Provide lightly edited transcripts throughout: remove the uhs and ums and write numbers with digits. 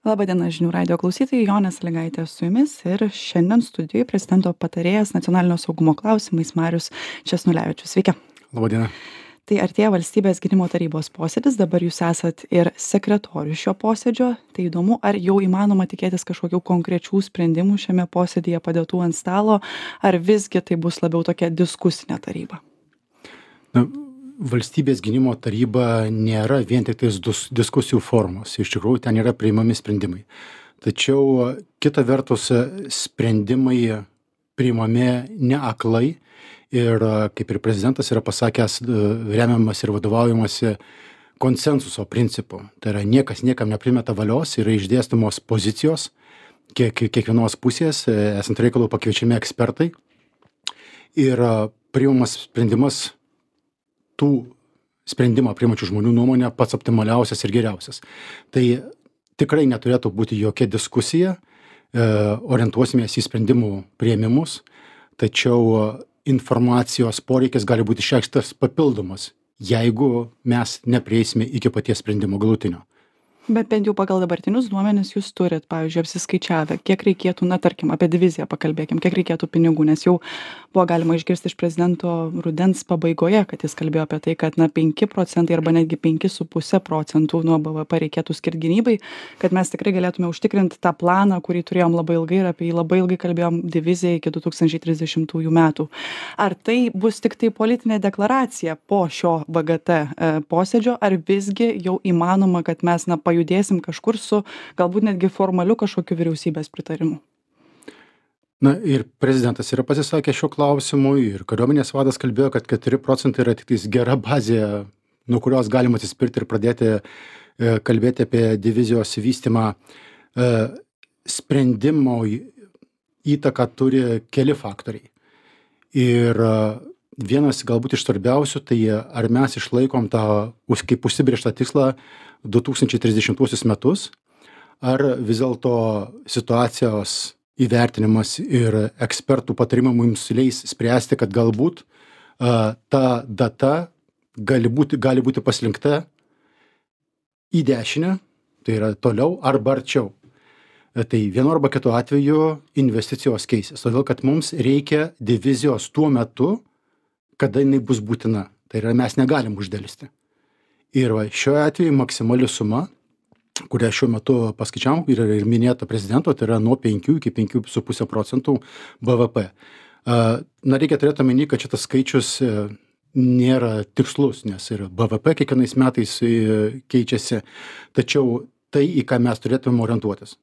Labadiena žinių radijo klausytojai, Jonė Sąlygaitė su jumis ir šiandien studijoje prezidento patarėjas nacionalinio saugumo klausimais Marius Česnulevičius. Sveiki. Labadiena. Tai artėja valstybės gynimo tarybos posėdis, dabar jūs esat ir sekretorius šio posėdžio. Tai įdomu, ar jau įmanoma tikėtis kažkokių konkrečių sprendimų šiame posėdėje padėtų ant stalo, ar visgi tai bus labiau tokia diskusinė taryba? Valstybės gynimo taryba nėra vien tik tais diskusijų formos. Iš tikrųjų, ten yra priimami sprendimai. Tačiau kita vertus, sprendimai priimami ne aklai ir, kaip ir prezidentas yra pasakęs, remiamas ir vadovaujamasi konsensuso principu. Tai yra niekas niekam neprimeta valios, yra išdėstomos pozicijos kiekvienos pusės, esant reikalų pakviečiami ekspertai ir priimamas sprendimas tų sprendimą priimančių žmonių nuomonė pats optimaliausias ir geriausias. Tai tikrai neturėtų būti jokia diskusija, orientuosimės į sprendimų priėmimus, tačiau informacijos poreikis gali būti išreikštas papildomas, jeigu mes neprieisime iki paties sprendimo galutinio. Bet bent jau pagal dabartinius duomenis jūs turit, pavyzdžiui, apsiskaičiavę, kiek reikėtų, tarkim, apie diviziją pakalbėkim, kiek reikėtų pinigų, nes jau buvo galima išgirsti iš prezidento rudens pabaigoje, kad jis kalbėjo apie tai, kad 5% arba netgi 5,5% nuo BVP reikėtų skirti gynybai, kad mes tikrai galėtume užtikrinti tą planą, kurį turėjom labai ilgai ir apie jį labai ilgai kalbėjom diviziją iki 2030 metų. Ar tai bus tik tai politinė deklaracija po šio VGT posėdžio, ar visgi jau įmanoma, kad mes pajudėsim kažkur su galbūt netgi formaliu kažkokiu vyriausybės pritarimu? Ir prezidentas yra pasisakęs šiuo klausimu ir kariuomenės vadas kalbėjo, kad 4% yra tik tais gera bazė, nuo kurios galima atsispirti ir pradėti kalbėti apie divizijos vystymą. Sprendimo įtaką turi keli faktoriai. Ir vienas galbūt iš svarbiausių, tai ar mes išlaikom tą kaip užsibrėžtą tikslą 2030 metus, ar vis dėlto situacijos įvertinimas ir ekspertų patarimai mums leis spręsti, kad galbūt ta data gali būti paslinkta į dešinę, tai yra toliau arba arčiau. Tai vienu arba kitu atveju investicijos keisis, todėl kad mums reikia divizijos tuo metu, kada jinai bus būtina. Tai yra mes negalim uždelsti. Ir šiuo atveju maksimali suma, kurią šiuo metu paskaičiavom ir minėta prezidento, tai yra nuo 5 iki 5,5% BVP. Reikia turėti omeny, kad šitas skaičius nėra tikslus, nes ir BVP kiekvienais metais keičiasi, tačiau tai, į ką mes turėtume orientuotis.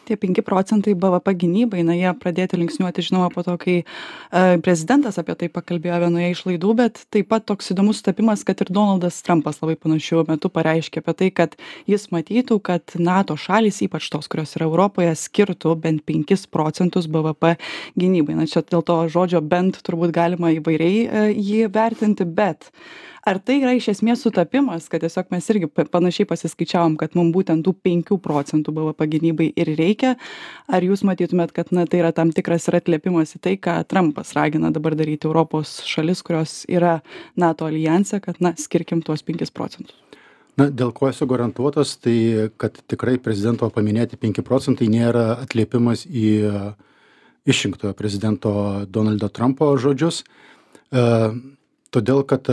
Tie 5% BVP gynybai, jie pradėti linksniuoti, žinoma, po to, kai prezidentas apie tai pakalbėjo vienoje iš laidų, bet taip pat toks įdomus sutapimas, kad ir Donaldas Trumpas labai panašiu metu pareiškė apie tai, kad jis matytų, kad NATO šalys, ypač tos, kurios yra Europoje, skirtų bent 5% BVP gynybai. Čia dėl to žodžio bent turbūt galima įvairiai jį vertinti, bet ar tai yra iš esmės sutapimas, kad tiesiog mes irgi panašiai pasiskaičiavom, kad mums būtent tų 5% BVP gynybai ir reikia, ar jūs matytumėt, kad tai yra tam tikras ir atliepimas į tai, ką Trumpas ragina dabar daryti Europos šalis, kurios yra NATO aljanse, kad skirkim tuos 5%? Dėl ko esu garantuotas, tai kad tikrai prezidento paminėti 5% nėra atliepimas į išrinktojo prezidento Donaldo Trumpo žodžius, todėl kad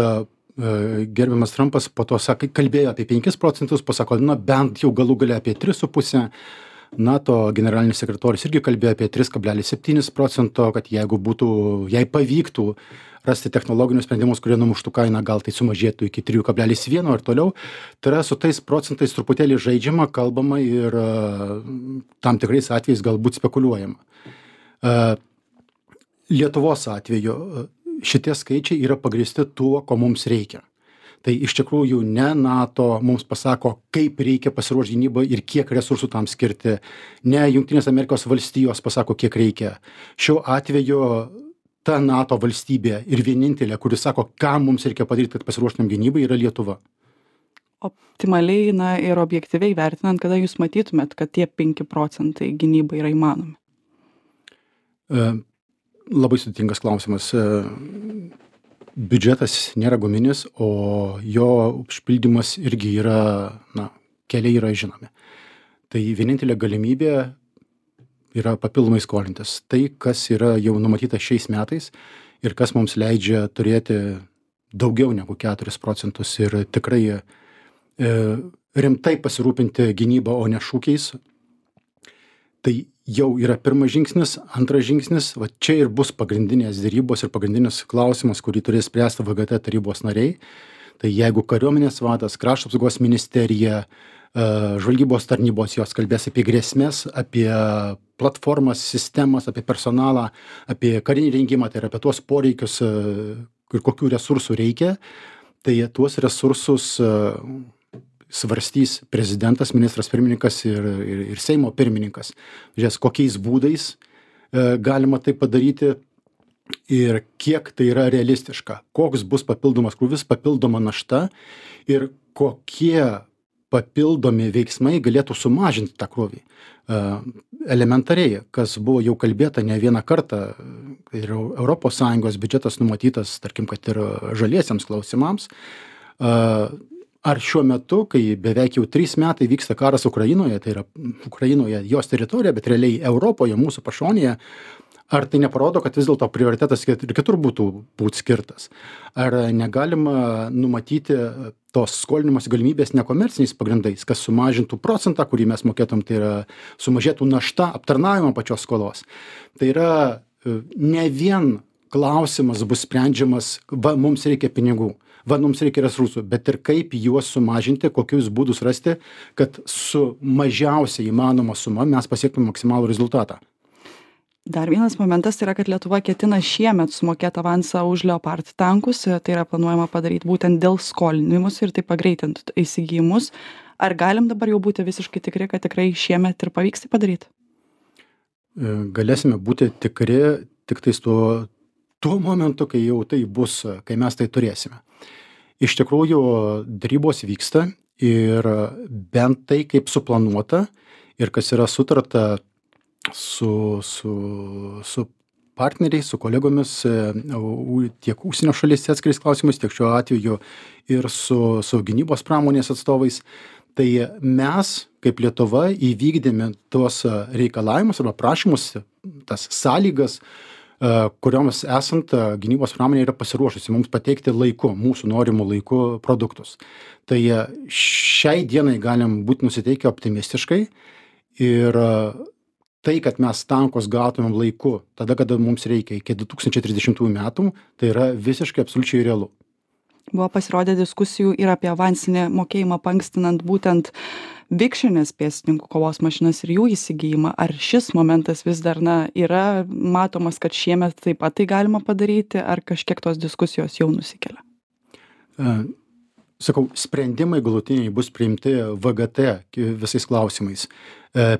gerbiamas Trumpas po to kalbėjo apie 5%, pasako, bent jau galų gale apie 3,5%. NATO generalinis sekretorius irgi kalbėjo apie 3,7%, kad jei pavyktų rasti technologinius sprendimus, kurie numuštų kainą, gal tai sumažėtų iki 3,1 ir toliau. Tai yra su tais procentais truputėlį žaidžiama, kalbama ir tam tikrais atvejais galbūt spekuliuojama. Lietuvos atveju šitie skaičiai yra pagrįsti tuo, ko mums reikia. Tai iš tikrųjų ne NATO mums pasako, kaip reikia pasiruošti gynybai ir kiek resursų tam skirti. Ne Jungtinės Amerikos valstijos pasako, kiek reikia. Šiuo atveju ta NATO valstybė ir vienintelė, kuris sako, ką mums reikia padaryti, kad pasiruoštumėm gynybai, yra Lietuva. Optimaliai ir objektyviai vertinant, kada jūs matytumėt, kad tie 5% gynybai yra įmanomi? Labai sudėtingas klausimas. Biudžetas nėra guminis, o jo užpildymas irgi yra, keliai yra žinomi. tai vienintelė galimybė yra papildomai skolintis. Tai, kas yra jau numatyta šiais metais ir kas mums leidžia turėti daugiau negu 4 procentus ir tikrai rimtai pasirūpinti gynybą, o ne šūkiais. Tai jau yra pirmas žingsnis. Antras žingsnis, va čia ir bus pagrindinės derybos ir pagrindinis klausimas, kurį turės spręsti VGT tarybos nariai. Tai jeigu kariuomenės vadas, krašto apsaugos ministerija, žvalgybos tarnybos, jos kalbės apie grėsmės, apie platformas, sistemas, apie personalą, apie karinį rengimą, tai yra apie tuos poreikius ir kokių resursų reikia, tai tuos resursus svarstys prezidentas, ministras pirmininkas ir Seimo pirmininkas. Žiūrės, kokiais būdais galima tai padaryti ir kiek tai yra realistiška, koks bus papildomas krūvis, papildoma našta ir kokie papildomi veiksmai galėtų sumažinti tą krūvį. Elementariai, kas buvo jau kalbėta ne vieną kartą, ir ES biudžetas numatytas, tarkim, kad ir žaliesiems klausimams, ar šiuo metu, kai beveik jau 3 metai vyksta karas Ukrainoje, tai yra Ukrainoje jos teritorija, bet realiai Europoje, mūsų pašonėje, ar tai neparodo, kad vis dėlto prioritetas ir kitur būtų skirtas? Ar negalima numatyti tos skolinimosi galimybės nekomerciniais pagrindais, kas sumažintų procentą, kurį mes mokėtum, tai yra sumažėtų našta aptarnavimo pačios skolos? Tai yra ne vien klausimas bus sprendžiamas, va, mums reikia pinigų, va, mums reikia resursų, bet ir kaip juos sumažinti, kokius būdus rasti, kad su mažiausia įmanoma suma mes pasiektume maksimalų rezultatą. Dar vienas momentas tai yra, kad Lietuva ketina šiemet sumokėti avansą už Leopard tankus, tai yra planuojama padaryti būtent dėl skolinimus ir tai pagreitinti įsigijimus. Ar galim dabar jau būti visiškai tikri, kad tikrai šiemet ir pavyks tai padaryti? Galėsime būti tikri tik tais tuo momentu, kai jau tai bus, kai mes tai turėsime. Iš tikrųjų, darybos vyksta ir bent tai, kaip suplanuota ir kas yra sutarta su partneriais, su kolegomis tiek užsienio šalyse atskirais klausimais, tiek šiuo atveju ir su gynybos pramonės atstovais. Tai mes, kaip Lietuva, įvykdėme tuos reikalavimus arba prašymus, tas sąlygas, kurioms esant gynybos pramonė yra pasiruošusi mums pateikti laiku, mūsų norimų laiku produktus. Tai šiai dienai galim būti nusiteikę optimistiškai ir tai, kad mes tankus gautumėm laiku, tada, kada mums reikia, iki 2030 metų, tai yra visiškai absoliučiai realu. Buvo pasirodę diskusijų ir apie avansinį mokėjimą paankstinant būtent Vikšrinės pėstininkų kovos mašinas ir jų įsigijimą. Ar šis momentas vis dar yra matomas, kad šiemet taip pat tai galima padaryti, ar kažkiek tos diskusijos jau nusikelia? Sakau, sprendimai galutiniai bus priimti VGT visais klausimais,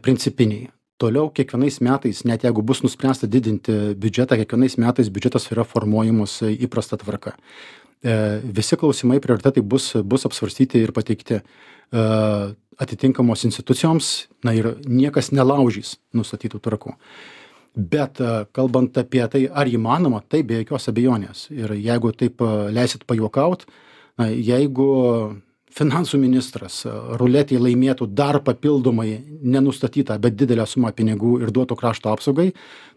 principiniai. Toliau kiekvienais metais, net jeigu bus nuspręsta didinti biudžetą, kiekvienais metais biudžetas yra formuojamas įprasta tvarka. Visi klausimai, prioritetai bus apsvarstyti ir pateikti atitinkamos institucijoms, ir niekas nelaužys nustatytų tvarkų. Bet kalbant apie tai, ar įmanoma, tai be jokios abejonės. Ir jeigu taip leisit pajuokaut, jeigu finansų ministras ruletėje laimėtų dar papildomai nenustatytą, bet didelę sumą pinigų ir duotų krašto apsaugai,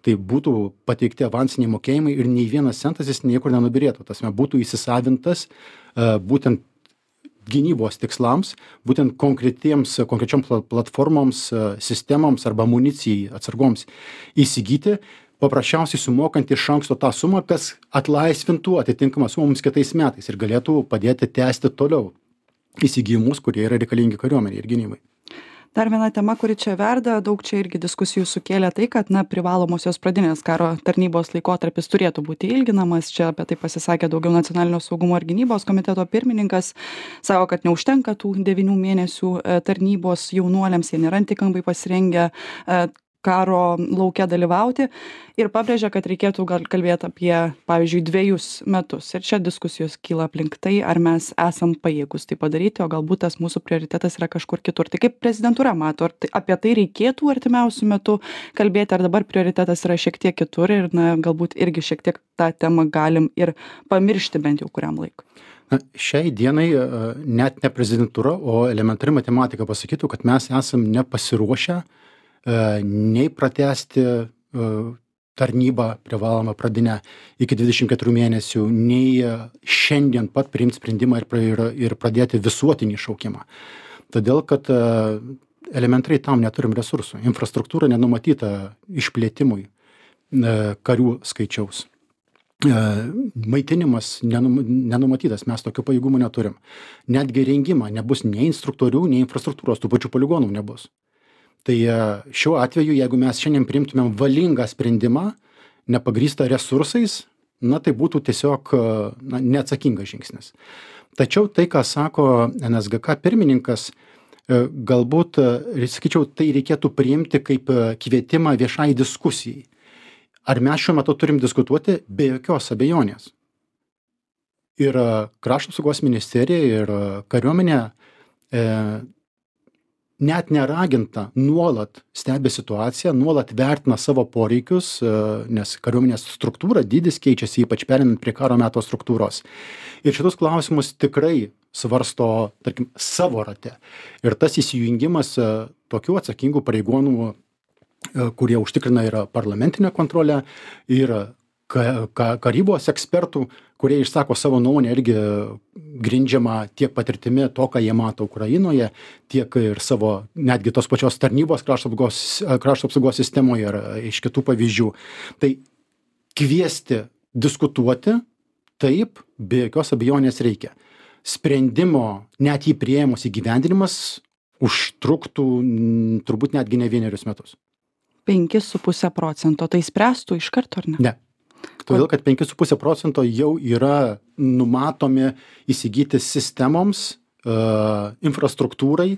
tai būtų pateikti avansiniai mokėjimai ir nei vienas centas jis niekur nenubirėtų. Tasme, būtų įsisavintas būtent gynybos tikslams, būtent konkrečioms platformoms, sistemoms arba amunicijai atsargoms įsigyti, paprasčiausiai sumokant iš anksto tą sumą, kas atlaisvintų atitinkamą sumą mums kitais metais ir galėtų padėti tęsti toliau įsigijimus, kurie yra reikalingi kariuomeniai ir gynybai. Dar viena tema, kuri čia verda, daug čia irgi diskusijų sukėlė tai, kad privalomosios pradinės karo tarnybos laikotarpis turėtų būti ilginamas. Čia apie tai pasisakė daugiau nacionalinio saugumo ir gynybos komiteto pirmininkas. Sako, kad neužtenka tų 9 mėnesių tarnybos jaunuoliams, jie nėra tinkamai pasirengę karo lauke dalyvauti ir pabrėžia, kad reikėtų gal kalbėti apie, pavyzdžiui, 2 metus. Ir čia diskusijos kyla aplink tai, ar mes esam pajėgus tai padaryti, o galbūt tas mūsų prioritetas yra kažkur kitur. Tai kaip prezidentūra mato, ar apie tai reikėtų artimiausių metų kalbėti, ar dabar prioritetas yra šiek tiek kitur ir galbūt irgi šiek tiek tą temą galim ir pamiršti bent jau kuriam laikui? Na, šiai dienai net ne prezidentūra, o elementari matematika pasakytų, kad mes esam nepasiruošę nei pratęsti tarnybą privalomą pradinę iki 24 mėnesių, nei šiandien pat priimti sprendimą ir pradėti visuotinį šaukimą. Todėl, kad elementariai tam neturim resursų. Infrastruktūra nenumatyta išplėtimui karių skaičiaus. Maitinimas nenumatytas, mes tokių pajėgumų neturim. Netgi rengimą nebus nei instruktorių, nei infrastruktūros, tų pačių poligonų nebus. Tai šiuo atveju, jeigu mes šiandien priimtumėm valingą sprendimą, nepagrįstą resursais, na tai būtų tiesiog neatsakingas žingsnis. Tačiau tai, ką sako NSGK pirmininkas, galbūt, sakyčiau, tai reikėtų priimti kaip kvietimą viešai diskusijai. Ar mes šiuo metu turim diskutuoti? Be jokios abejonės. Ir Krašto apsaugos ministerija ir kariuomenė net neraginta nuolat stebi situaciją, nuolat vertina savo poreikius, nes kariuomenės struktūra, dydis keičiasi, ypač perinant prie karo meto struktūros. Ir šitus klausimus tikrai svarsto, tarkim, savo rate. Ir tas įsijungimas tokių atsakingų pareigūnų, kurie užtikrina ir parlamentinę kontrolę, ir karybos ekspertų, kurie išsako savo nuomonę irgi grindžiama tiek patirtimi to, ką jie mato Ukrainoje, tiek ir savo netgi tos pačios tarnybos krašto apsaugos sistemoje ir iš kitų pavyzdžių. Tai kviesti diskutuoti, taip, be jokios abejonės reikia. Sprendimo, net jį priėmus įgyvendinimas, užtruktų turbūt netgi ne 1 metus. 5,5%. Tai spręstų iš karto, ar ne? Ne. Todėl, kad 5,5% jau yra numatomi įsigyti sistemoms, infrastruktūrai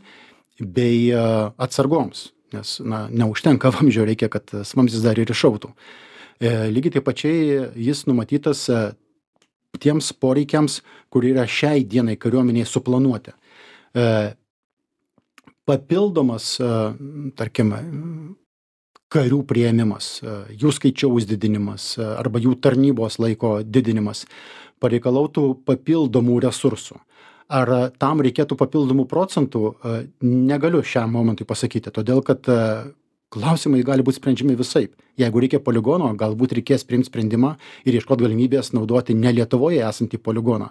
bei atsargoms. Nes neužtenka vamzdžio, reikia, kad vamzdis dar ir iššautų. Lygiai taip pačiai jis numatytas tiems poreikiams, kurie yra šiai dienai kariuomeniai suplanuoti. Papildomas, tarkim, karių priėmimas, jų skaičiaus didinimas arba jų tarnybos laiko didinimas pareikalautų papildomų resursų. Ar tam reikėtų papildomų procentų, negaliu šiam momentui pasakyti, todėl kad klausimai gali būti sprendžiami visaip. Jeigu reikia poligono, galbūt reikės priimti sprendimą ir ieškoti galimybės naudoti ne Lietuvoje esantį poligoną.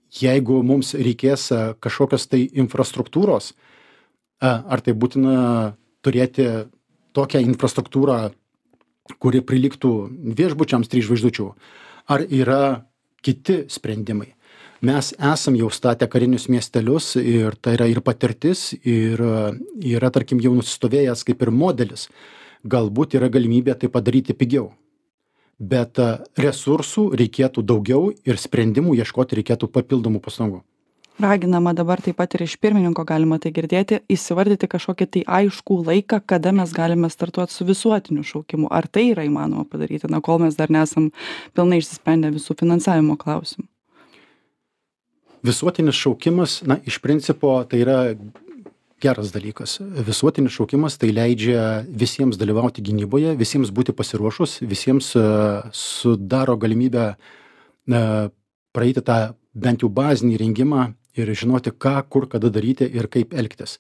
Jeigu mums reikės kažkokios tai infrastruktūros, ar tai būtina turėti tokią infrastruktūrą, kuri prilygtų viešbučiams 3 žvaigždučių, ar yra kiti sprendimai. Mes esam jau statę karinius miestelius ir tai yra ir patirtis, ir yra, tarkim, jau nusistovėjęs kaip ir modelis. Galbūt yra galimybė tai padaryti pigiau. Bet resursų reikėtų daugiau ir sprendimų ieškoti reikėtų papildomų pastangų. Raginama dabar taip pat ir iš pirmininko galima tai girdėti, įsivardyti kažkokį tai aiškų laiką, kada mes galime startuoti su visuotiniu šaukimu. Ar tai yra įmanoma padaryti, kol mes dar nesam pilnai išsisprendę visų finansavimo klausimų? Visuotinis šaukimas, iš principo, tai yra geras dalykas. Visuotinis šaukimas tai leidžia visiems dalyvauti gynyboje, visiems būti pasiruošus, visiems sudaro galimybę praeiti tą bent jau bazinį rengimą ir žinoti, ką, kur, kada daryti ir kaip elgtis.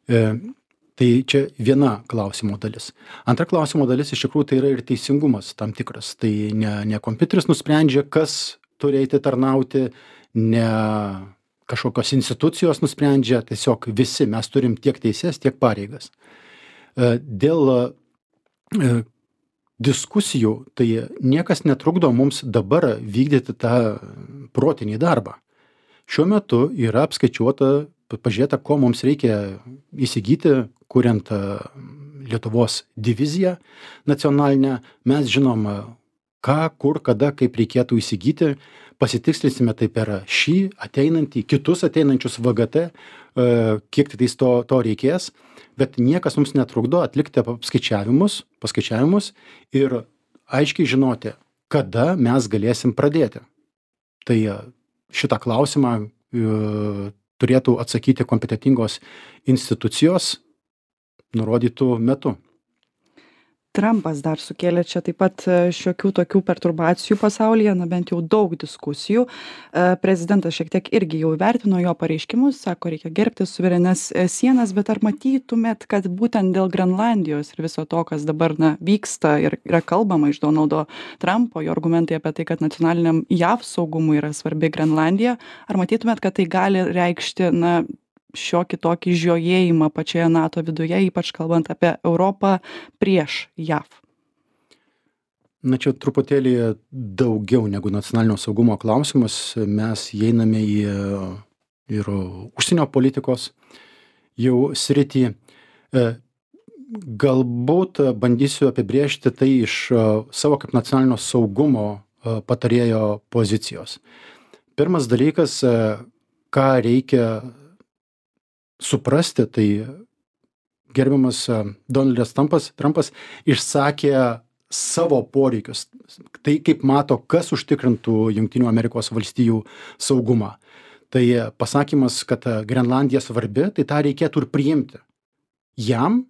Tai čia viena klausimo dalis. Antra klausimo dalis iš tikrųjų tai yra ir teisingumas tam tikras. Tai ne kompiuteris nusprendžia, kas turi eiti tarnauti, ne kažkokios institucijos nusprendžia, tiesiog visi mes turim tiek teises, tiek pareigas. Dėl diskusijų, tai niekas netrukdo mums dabar vykdyti tą protinį darbą. Šiuo metu yra apskaičiuota, pažiūrėta, ko mums reikia įsigyti, kuriant Lietuvos diviziją nacionalinę. Mes žinom, ką, kur, kada, kaip reikėtų įsigyti. Pasitikslinsime tai per šį ateinantį, kitus ateinančius VGT, kiek tai to reikės. Bet niekas mums netrukdo atlikti paskaičiavimus ir aiškiai žinoti, kada mes galėsim pradėti. Tai šitą klausimą turėtų atsakyti kompetentingos institucijos nurodytų metu. Trampas dar sukėlė čia taip pat šiokių tokių perturbacijų pasaulyje, na bent jau daug diskusijų. Prezidentas šiek tiek irgi jau įvertino jo pareiškimus, sako, reikia gerbti suverenes sienas, bet ar matytumėt, kad būtent dėl Grenlandijos ir viso to, kas dabar vyksta ir yra kalbama iš Donaldo Trumpo, jo argumentai apie tai, kad nacionaliniam JAV saugumui yra svarbi Grenlandija, ar matytumėt, kad tai gali reikšti, šiokį tokį žiojėjimą pačioje NATO viduje, ypač kalbant apie Europą prieš JAV? Čia truputėlį daugiau negu nacionalinio saugumo klausimas. Mes įeiname į ir užsienio politikos jau sritį. Galbūt bandysiu apibrėžti tai iš savo kaip nacionalinio saugumo patarėjo pozicijos. Pirmas dalykas, ką reikia suprasti, tai gerbiamas Donaldas Trumpas išsakė savo poreikius. Tai kaip mato, kas užtikrintų Jungtinių Amerikos valstijų saugumą. Tai pasakymas, kad Grenlandija svarbi, tai tą reikėtų ir priimti. Jam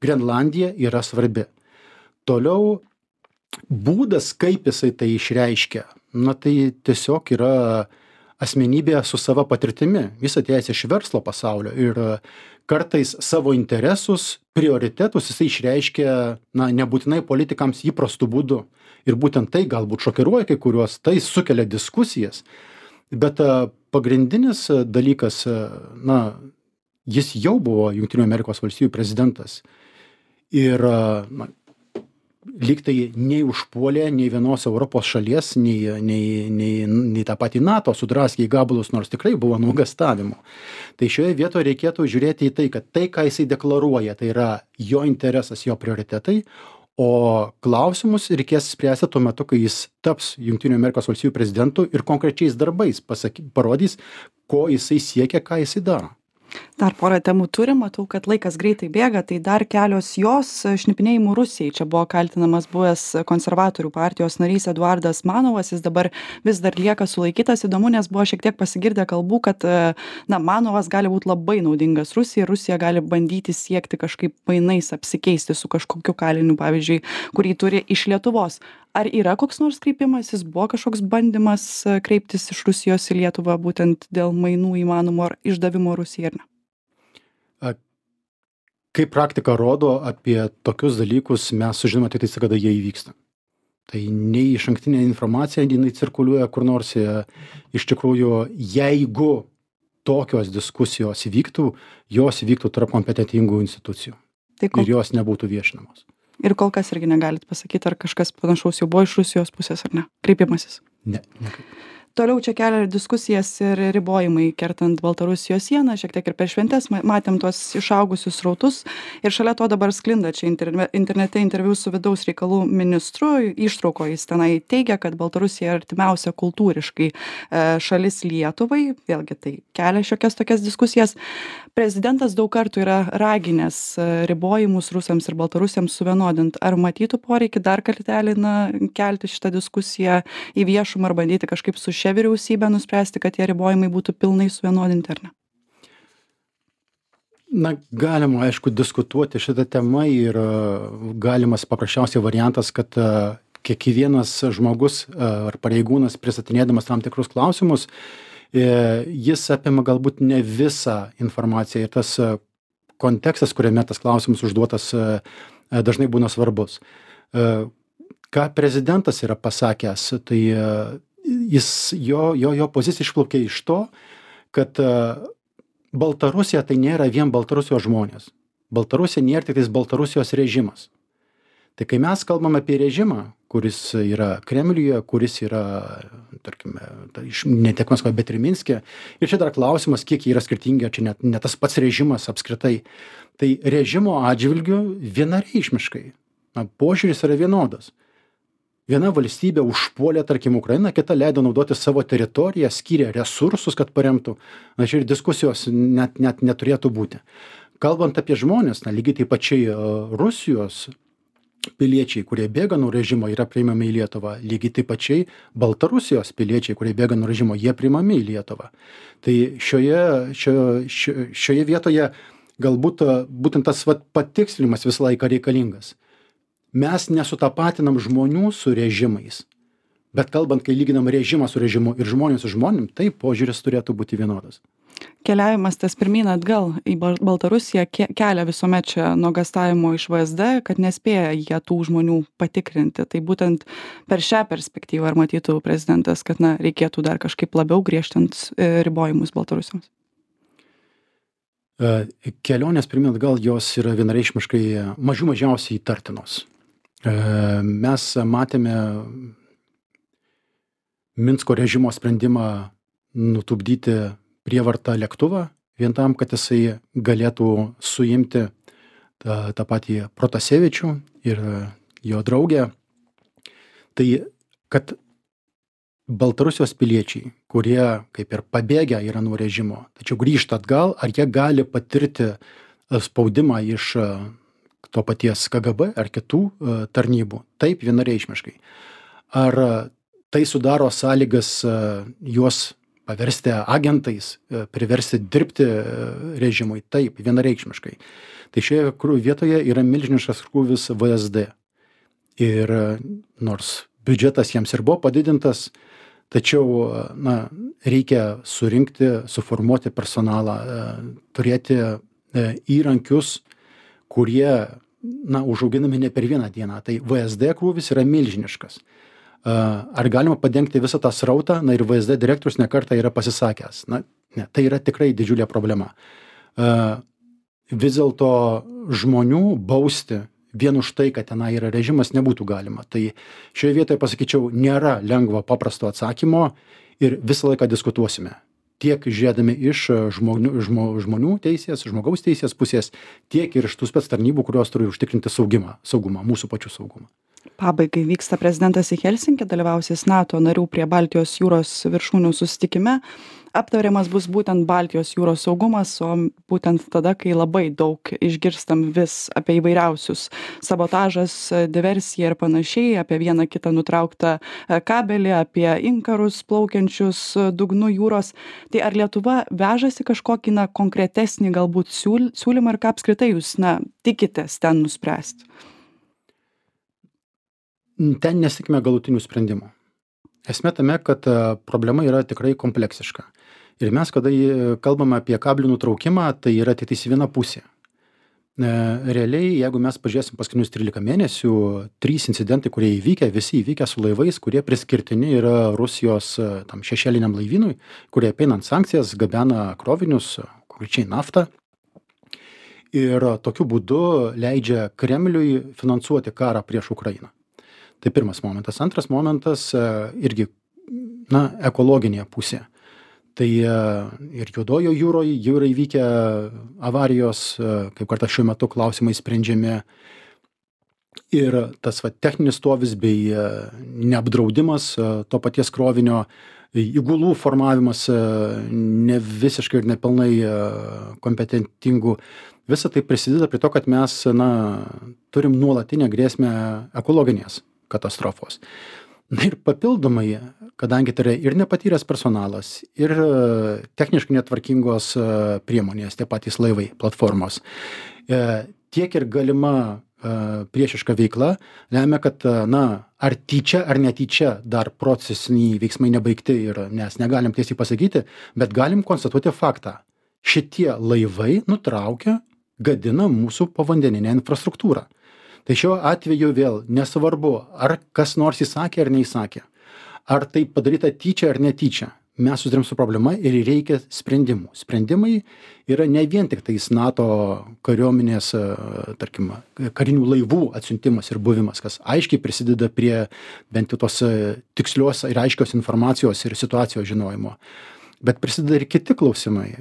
Grenlandija yra svarbi. Toliau būdas, kaip jisai tai išreiškia, tai tiesiog yra asmenybė su sava patirtimi. Jis atėjęs iš verslo pasaulio ir kartais savo interesus, prioritetus jisai išreiškia, nebūtinai politikams įprastų būdų. Ir būtent tai galbūt šokiruoja kai kuriuos, tai sukelia diskusijas. Bet pagrindinis dalykas, jis jau buvo Jungtinių Amerikos valstijų prezidentas. Ir lyg tai nei užpuolė nei vienos Europos šalies, nei tą patį NATO sudraskė į gabalus, nors tikrai buvo nuogąstavimų. Tai šioje vietoje reikėtų žiūrėti į tai, kad tai, ką jisai deklaruoja, tai yra jo interesas, jo prioritetai, o klausimus reikės spręsti tuo metu, kai jis taps Jungtinių Amerikos valstijų prezidentu ir konkrečiais darbais parodys, ko jisai siekia, ką jisai daro. Dar porą temų turim, matau, kad laikas greitai bėga, tai dar kelios jos šnipinėjimų Rusijai. Čia buvo kaltinamas buvęs konservatorių partijos narys Eduardas Manovas, jis dabar vis dar lieka sulaikytas. Įdomu, nes buvo šiek tiek pasigirdę kalbų, kad Manovas gali būti labai naudingas Rusijai, Rusija gali bandyti siekti kažkaip mainais apsikeisti su kažkokiu kaliniu, pavyzdžiui, kurį turi iš Lietuvos. Ar yra koks nors kreipimasis, buvo kažkoks bandymas kreiptis iš Rusijos į Lietuvą būtent dėl mainų įmanomo ar išdavimo Rusijai, ar ne? Kaip praktika rodo, apie tokius dalykus mes sužinome tik tai, kada jie įvyksta. Tai nei išankstinė informacija, jinai cirkuliuoja kur nors. Iš tikrųjų, jeigu tokios diskusijos įvyktų, jos įvyktų tarp kompetentingų institucijų. Ir jos nebūtų viešinamos. Ir kol kas irgi negalit pasakyti, ar kažkas panašaus jau buvo iš Rusijos pusės, ar ne? Kreipimasis. Ne. Toliau čia kelia diskusijas ir ribojimai kertant Baltarusijos sieną, šiek tiek ir per šventes matėm tuos išaugusius srautus ir šalia to dabar sklinda čia internete interviu su vidaus reikalų ministru, ištrauko jis tenai teigia, kad Baltarusija artimiausia kultūriškai šalis Lietuvai, vėlgi tai kelia šiokias tokias diskusijas. Prezidentas daug kartų yra raginęs ribojimus rusams ir baltarusiams suvienodint. Ar matytų poreikį dar kartelį kelti šitą diskusiją į viešumą ar bandyti kažkaip su šia vyriausybė nuspręsti, kad tie ribojimai būtų pilnai suvienodinti, ar ne? Galima, aišku, diskutuoti šitą temą ir galimas paprasčiausiai variantas, kad kiekvienas žmogus ar pareigūnas pristatinėdamas tam tikrus klausimus, jis apima galbūt ne visą informaciją ir tas kontekstas, kuriame tas klausimas užduotas, dažnai būna svarbus. Ką prezidentas yra pasakęs, tai jo pozicija išplaukė iš to, kad Baltarusija tai nėra vien Baltarusijos žmonės. Baltarusija nėra tik Baltarusijos režimas. Tai kai mes kalbam apie režimą, kuris yra Kremliuje, kuris yra, tarkime, ne tiek Maskvoje, bet ir Minske, ir čia dar klausimas, kiek jie yra skirtingi, čia ne tas pats režimas apskritai. Tai režimo atžvilgiu vienareikšmiškai požiūris yra vienodas. Viena valstybė užpuolė, tarkim, Ukrainą, kita leido naudoti savo teritoriją, skyrė resursus, kad paremtų. Čia ir diskusijos net neturėtų būti. Kalbant apie žmonės, lygiai taip pačiai Rusijos piliečiai, kurie bėga nuo režimo, yra priimami į Lietuvą. Lygiai taip pačiai Baltarusijos piliečiai, kurie bėga nuo režimo, jie priimami į Lietuvą. Tai šioje vietoje galbūt būtent tas patikslinimas visą laiką reikalingas. mes nesutapatinam žmonių su režimais, bet kalbant, kai lyginam režimą su režimu ir žmonės su žmonėm, tai požiūris turėtų būti vienodas. Keliavimas tas pirmyn atgal į Baltarusiją kelia visuomet čia nuogąstavimų iš VSD, kad nespėja jie tų žmonių patikrinti. Tai būtent per šią perspektyvą ar matytų prezidentas, kad reikėtų dar kažkaip labiau griežtint ribojimus Baltarusiams? Kelionės pirmyn atgal jos yra vienareikšmiškai mažiausiai įtartinos. Mes matėme Minsko režimo sprendimą nutupdyti prievartą lėktuvą, vien tam, kad jisai galėtų suimti tą patį Protasevičių ir jo draugę. Tai, kad Baltarusijos piliečiai, kurie kaip ir pabėgę yra nuo režimo, tačiau grįžta atgal, ar jie gali patirti spaudimą iš to paties KGB ar kitų tarnybų? Taip, vienareikšmiškai. Ar tai sudaro sąlygas juos paversti agentais, priversti dirbti režimui? Taip, vienareikšmiškai. Tai šioje vietoje yra milžiniškas krūvis VSD. Ir nors biudžetas jiems ir buvo padidintas, tačiau reikia surinkti, suformuoti personalą, turėti įrankius, kurie užauginami ne per vieną dieną. Tai VSD krūvis yra milžiniškas. Ar galima padengti visą tą srautą? Ir VSD direktorius nekartą yra pasisakęs. Ne, tai yra tikrai didžiulė problema. Vis dėlto žmonių bausti vien už tai, kad tenai yra režimas, nebūtų galima. Tai šioje vietoje pasakyčiau, nėra lengvo paprasto atsakymo ir visą laiką diskutuosime. Tiek žiūrėdami iš žmonių teisės, žmogaus teisės pusės, tiek ir iš tų spec tarnybų, kurios turi užtikrinti saugumą, mūsų pačių saugumą. Pabaigai vyksta prezidentas į Helsinkį, dalyvausis NATO narių prie Baltijos jūros viršūnių susitikime. Aptariamas bus būtent Baltijos jūros saugumas, o būtent tada, kai labai daug išgirstam vis apie įvairiausius sabotažas, diversiją ir panašiai, apie vieną kitą nutrauktą kabelį, apie inkarus plaukiančius dugnu jūros. Tai ar Lietuva vežasi kažkokį konkretesnį galbūt siūlymą ir ką apskritai jūs tikitės ten nuspręsti? Ten nesitikime galutinių sprendimų. Esmė tame, kad problema yra tikrai kompleksiška. Ir mes, kada kalbame apie kablių nutraukimą, tai yra tik viena pusė. Realiai, jeigu mes pažiūrėsim paskutinius 13 mėnesių, 3 incidentai, kurie įvykę, visi įvykę su laivais, kurie priskirtini yra Rusijos tam šešėliniam laivynui, kurie apeinant sankcijas gabena krovinius, konkrečiai naftą. Ir tokiu būdu leidžia Kremliui finansuoti karą prieš Ukrainą. Tai pirmas momentas. Antras momentas irgi, ekologinė pusė. Tai ir Juodojo jūroje jau yra įvykę avarijos, kaip kartą šiuo metu klausimai sprendžiami. Ir tas techninis stovis bei neapdraudimas to paties krovinio, įgulų formavimas ne visiškai ir nepilnai kompetentingų. Visa tai prisideda prie to, kad mes turim nuolatinę grėsmę ekologinės katastrofos. Ir papildomai, kadangi tai yra ir nepatyręs personalas, ir techniškai netvarkingos priemonės, tie patys laivai, platformos, tiek ir galima priešiška veikla lemia, kad ar tyčia ar netyčia dar procesiniai veiksmai nebaigti ir nes negalim tiesiai pasakyti, bet galim konstatuoti faktą. Šitie laivai nutraukia, gadina mūsų povandeninę infrastruktūrą. Tai šiuo atveju vėl nesvarbu, ar kas nors įsakė ar neįsakė, ar tai padaryta tyčia ar netyčia. Mes susidurėm su problema ir reikia sprendimų. Sprendimai yra ne vien tik tais NATO kariuomenės, tarkim, karinių laivų atsiuntimas ir buvimas, kas aiškiai prisideda prie bent jau tos tikslios ir aiškios informacijos ir situacijos žinojimo. Bet prisideda ir kiti klausimai.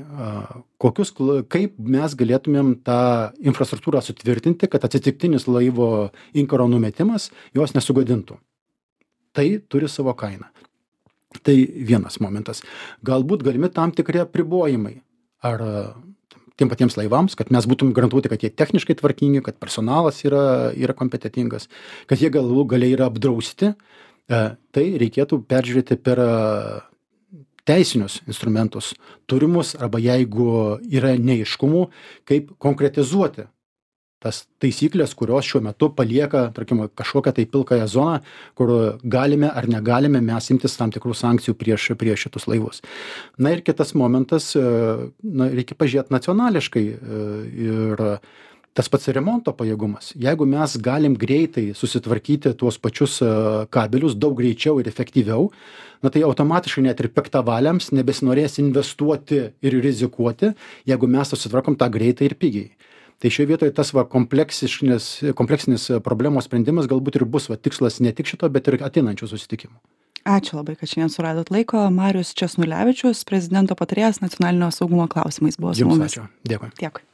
Kaip mes galėtumėm tą infrastruktūrą sutvirtinti, kad atsitiktinis laivo inkaro numetimas jos nesugadintų. Tai turi savo kainą. Tai vienas momentas. Galbūt galimi tam tikri apribojimai. Ar tiem patiems laivams, kad mes būtum garantuoti, kad jie techniškai tvarkingi, kad personalas yra kompetentingas, kad jie galų galiai yra apdrausti. Tai reikėtų peržiūrėti per teisinius instrumentus turimus arba jeigu yra neaiškumų, kaip konkretizuoti tas taisyklės, kurios šiuo metu palieka, tarkim, kažkokią tai pilkąją zoną, kur galime ar negalime mes imtis tam tikrų sankcijų prieš šitus laivus. Na ir kitas momentas, reikia pažiūrėti nacionališkai ir tas pats remonto pajėgumas. Jeigu mes galim greitai susitvarkyti tuos pačius kabelius daug greičiau ir efektyviau, tai automatiškai net ir piktavaliams nebesinorės investuoti ir rizikuoti, jeigu mes susitvarkom tą greitai ir pigiai. Tai šioje vietoje tas kompleksinis problemos sprendimas galbūt ir bus tikslas ne tik šito, bet ir ateinančių susitikimų. Ačiū labai, kad šiandien suradot laiko. Marius Česnulevičius, prezidento patarėjas nacionalinio saugumo klausimais buvo su mumis. Jums ačiū. Dėkui. Dėkui.